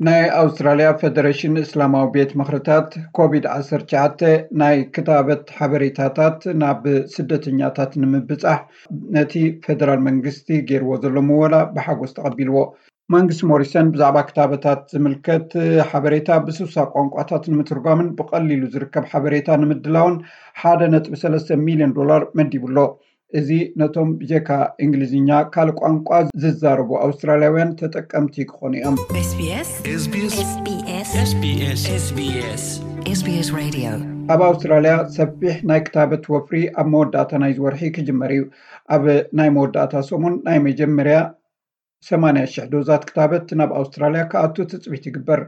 ናይ ኣውስትራልያ ፌደሬሽን እስላማዊ ቤት ምኽርታት ኮቪድ ዓሰርተ ትሽዓተ ናይ ክታበት ሓበሬታታት ናብ ስደተኛታት ንምብጻሕ ነቲ ፌደራል መንግስቲ ገይርዎ ዘሎ ምወላ ብሓጎስ ተቐቢልዎ። መንግስቲ ሞሪሰን ብዛዕባ ክታበታት ዝምልከት ሓበሬታ ብስሳ ቋንቋታት ንምትርጓምን ብቐሊሉ ዝርከብ ሓበሬታ ንምድላውን ሓደ ነጥቢ ሰለስተ ሚልዮን ዶላር መዲቡ ኣሎ። እዚ ነቶም ብጀካ እንግሊዝኛ ካልእ ቋንቋ ዝዛረቡ ኣውስትራልያውያን ተጠቀምቲ ክኾኑ እዮም። SBS SBS SBS SBS Radio. ኣብ ኣውስትራልያ ሰፊሕ ናይ ክታበት ወፍሪ ኣብ መወዳእታ ናይዚ ወርሒ ክጅመር እዩ። ኣብ ናይ መወዳእታ ሰሙን ናይ መጀመርያ ሰማንያ ሽሕ ዶዛት ክታበት ናብ ኣውስትራልያ ክኣቱ ትፅቢት ይግበር።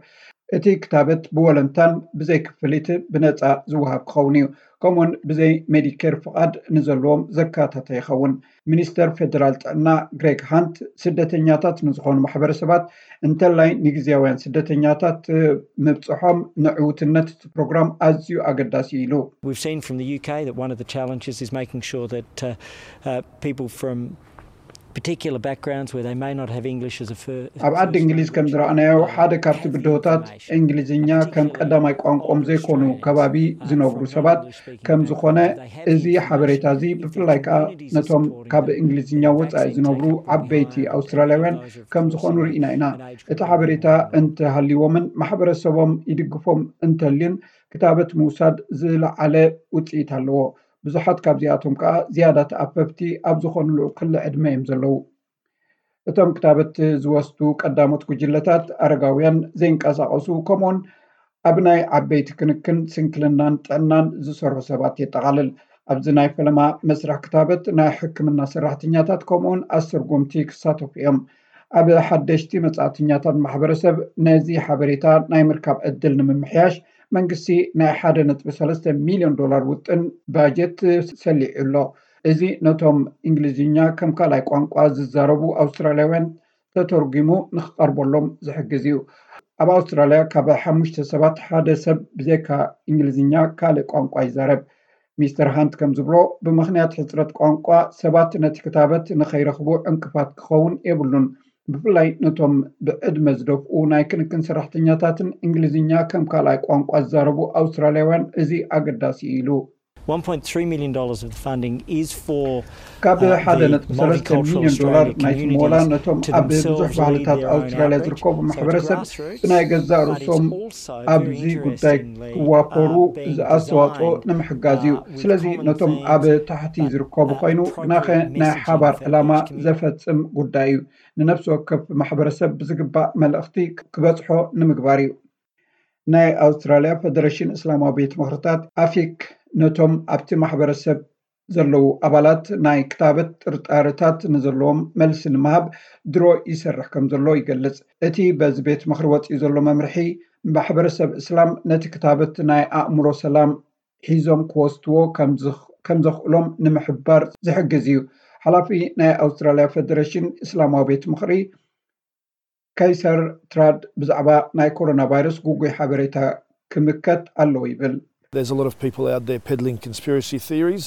እቲ ክታበት ብወለንታን ብዘይ ክፍሊት ብነፃ ዝወሃብ ክኸውን እዩ። ከምኡውን ብዘይ ሜዲኬር ፍቓድ ንዘለዎም ዘካተተ ይኸውን። ሚኒስተር ፌደራል ጥዕና ግሬግ ሃንት ስደተኛታት ንዝኾኑ ማሕበረሰባት እንተላይ ንግዜያውያን ስደተኛታት ምብፅሖም ንዕውትነት እቲ ፕሮግራም ኣዝዩ ኣገዳሲ ኢሉ። We've seen from the U K that one of the challenges is making sure that uh, uh, people from particular backgrounds where they may not have English as a first. ኣብ ዓዲ እንግሊዝ ከም ዝረኣናዮ ሓደ ካብቲ ብድሆታት እንግሊዝኛ ከም ቀዳማይ ቋንቋኦም ዘይኮኑ ከባቢ ዝነብሩ ሰባት ከም ዝኾነ፣ እዚ ሓበሬታ እዚ ብፍላይ ከኣ ነቶም ካብ እንግሊዝኛ ወጻኢ ዝነብሩ ዓበይቲ ኣውስትራልያውያን ከም ዝኾኑ ርኢና ኢና። እቲ ሓበሬታ እንተሃልይዎምን ማሕበረሰቦም ይድግፎም እንተልዩን ክታበት ምውሳድ ዝለዓለ ውፅኢት ኣለዎ። ብዙሓት ካብዚኣቶም ከኣ ዝያዳ ተኣፈፍቲ ኣብ ዝኾኑሉ ክሊ ዕድመ እዮም ዘለዉ። እቶም ክታበት ዝወስዱ ቀዳሞት ጉጅለታት ኣረጋውያን፣ ዘይንቀሳቐሱ፣ ከምኡውን ኣብ ናይ ዓበይቲ ክንክን፣ ስንክልናን ጥዕናን ዝሰርሑ ሰባት የጠቓልል። ኣብዚ ናይ ፈለማ መስርሕ ክታበት ናይ ሕክምና ሰራሕተኛታት ከምኡውን ኣስተርጎምቲ ክሳተፉ እዮም። ኣብ ሓደሽቲ መጻእተኛታት ማሕበረሰብ ነዚ ሓበሬታ ናይ ምርካብ ዕድል ንምምሕያሽ መንግስቲ ናይ ሓደ ነጥቢ ሰለስተ ሚልዮን ዶላር ውጥን ባጀት ሰሊዑ ኣሎ። እዚ ነቶም እንግሊዝኛ ከም ካልኣይ ቋንቋ ዝዛረቡ ኣውስትራልያውያን ተተርጒሙ ንክቐርበሎም ዝሕግዝ እዩ። ኣብ ኣውስትራልያ ካብ ሓሙሽተ ሰባት ሓደ ሰብ ብዘይካ እንግሊዝኛ ካልእ ቋንቋ ይዛረብ። ሚስተር ሃንት ከም ዝብሎ፣ ብምኽንያት ሕፅረት ቋንቋ ሰባት ነቲ ክታበት ንኸይረኽቡ ዕንቅፋት ክኸውን የብሉን። ብፍላይ ነቶም ብዕድመ ዝደፍኡ ናይ ክንክን ሰራሕተኛታትን እንግሊዝኛ ከም ካልኣይ ቋንቋ ዝዛረቡ ኣውስትራልያውያን እዚ ኣገዳሲ እዩ ኢሉ። One point three million dollars of the funding is for ካብ uh, ሓደ the ነጥቢ ሰለስተ multicultural ሚልዮን ዶላር Australian ናይቲ ሞላ communities ነቶም to ኣብ themselves ብዙሕ lead ባህልታት their own ኣውስትራልያ outreach. ዝርከቡ So it's ማሕበረሰብ grassroots, ብናይ ገዛእ but it's ርእሶም also ኣብዚ very ጉዳይ interestingly, ክዋፈሩ uh, being ዝኣስተዋፅኦ designed, ንምሕጋዝ እዩ። uh, with ስለዚ common ነቶም themes, ኣብ ታሕቲ but ዝርከቡ ኮይኑ appropriate ብናኸ ናይ messaging ሓባር for ዕላማ each community. ዘፈፅም ጉዳይ እዩ። ንነፍሲ ወከፍ ማሕበረሰብ ብዝግባእ መልእኽቲ ክበፅሖ ንምግባር እዩ። ናይ ኣውስትራልያ ፌደሬሽን እስላማዊ ቤት ምኽርታት ኣፊክ ነቶም ኣብቲ ማሕበረሰብ ዘለዉ ኣባላት ናይ ክታበት ጥርጣርታት ንዘለዎም መልሲ ንምሃብ ድሮ ይሰርሕ ከም ዘሎ ይገልጽ። እቲ በዚ ቤት ምኽሪ ወጺኡ ዘሎ መምርሒ ማሕበረሰብ እስላም ነቲ ክታበት ናይ ኣእምሮ ሰላም ሒዞም ክወስድዎ ከም ዘኽእሎም ንምሕባር ዝሕግዝ እዩ። ሓላፊ ናይ ኣውስትራልያ ፌደሬሽን እስላማዊ ቤት ምኽሪ ከይሰር ትራድ ብዛዕባ ናይ ኮሮና ቫይረስ ጉጉይ ሓበሬታ ክምከት ኣለዎ ይብል። There's a lot of people out there peddling conspiracy theories.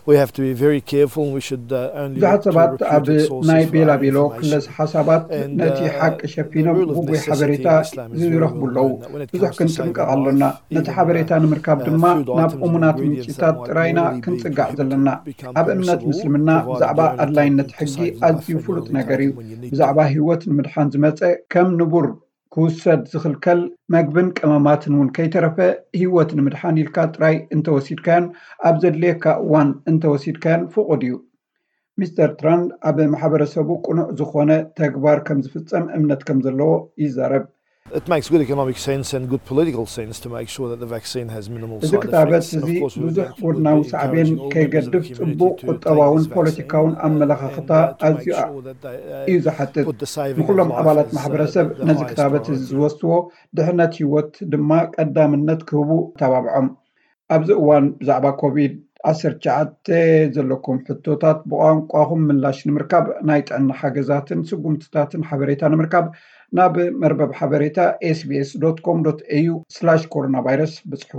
We have to be very careful and we should uh, only ብዙሓት look to ሰባት ኣብ reputed sources ናይ for that ቤላቤሎ information. ክለስ ሓሳባት And, ነቲ uh, ሓቂ the ሸፊኖም rule of ጉጉይ necessity ሓበሬታ in Islam is very ዝዝረኽቡ clear ኣለዉ። in that when it ብዙሕ comes to saving ክንጥንቀቕ a ኣሎና። life, ነቲ even, ሓበሬታ uh, ንምርካብ uh, ድማ food ናብ items and እሙናት ingredients ምንጭታት that might ጥራይና normally be ክንጽጋዕ prohibited ዘለና። become ኣብ እምነት permissible, ምስልምና provided ብዛዕባ they're only ኣድላይነት taken to ሕጊ save life ኣዝዩ and ፍሉጥ only ነገር እዩ። taken when you need ብዛዕባ them. ህይወት ንምድሓን ዝመጸ ከም ንቡር ክውሰድ ዝኽልከል መግብን ቀመማትን እውን ከይተረፈ ህይወት ንምድሓን ኢልካ ጥራይ እንተወሲድካዮን ኣብ ዘድልየካ እዋን እንተወሲድካዮን ፍቑድ እዩ። ሚስተር ትራንድ ኣብ ማሕበረሰቡ ቅኑዕ ዝኾነ ተግባር ከም ዝፍጸም እምነት ከም ዘለዎ ይዛረብ። It makes good economic sense and good political sense to make sure that the vaccine has minimal እዚ side ክታበት effects. And እዚ of course, we'll be ብዙሕ ጎድናዊ encouraging ሳዕቤን all members of the ከይገድፍ community ጽቡቕ to take ቁጠባውን this vaccine, ፖለቲካውን uh, ኣመለኻኽታ and, uh, to ኣዝዩ make ኣ- sure that they, uh, እዩ ዝሓትት። put the saving of ንኹሎም life ኣባላት as, uh, ማሕበረሰብ the ነዚ highest ክታበት እዚ priority. ዝወስድዎ ድሕነት ህይወት ድማ ቀዳምነት ክህቡ ተባብዖም። ኣብዚ እዋን ብዛዕባ ኮቪድ ዓሰርተ ትሽዓተ ዘለኩም ሕቶታት ብቋንቋኹም ምላሽ ንምርካብ ናይ ጥዕና ሓገዛትን ስጉምትታትን ሓበሬታ ንምርካብ ናብ መርበብ ሓበሬታ ኤስቢኤስ ዶት ኮም ዶት ኤዩ ስላሽ ኮሮና ቫይረስ ብጽሑ።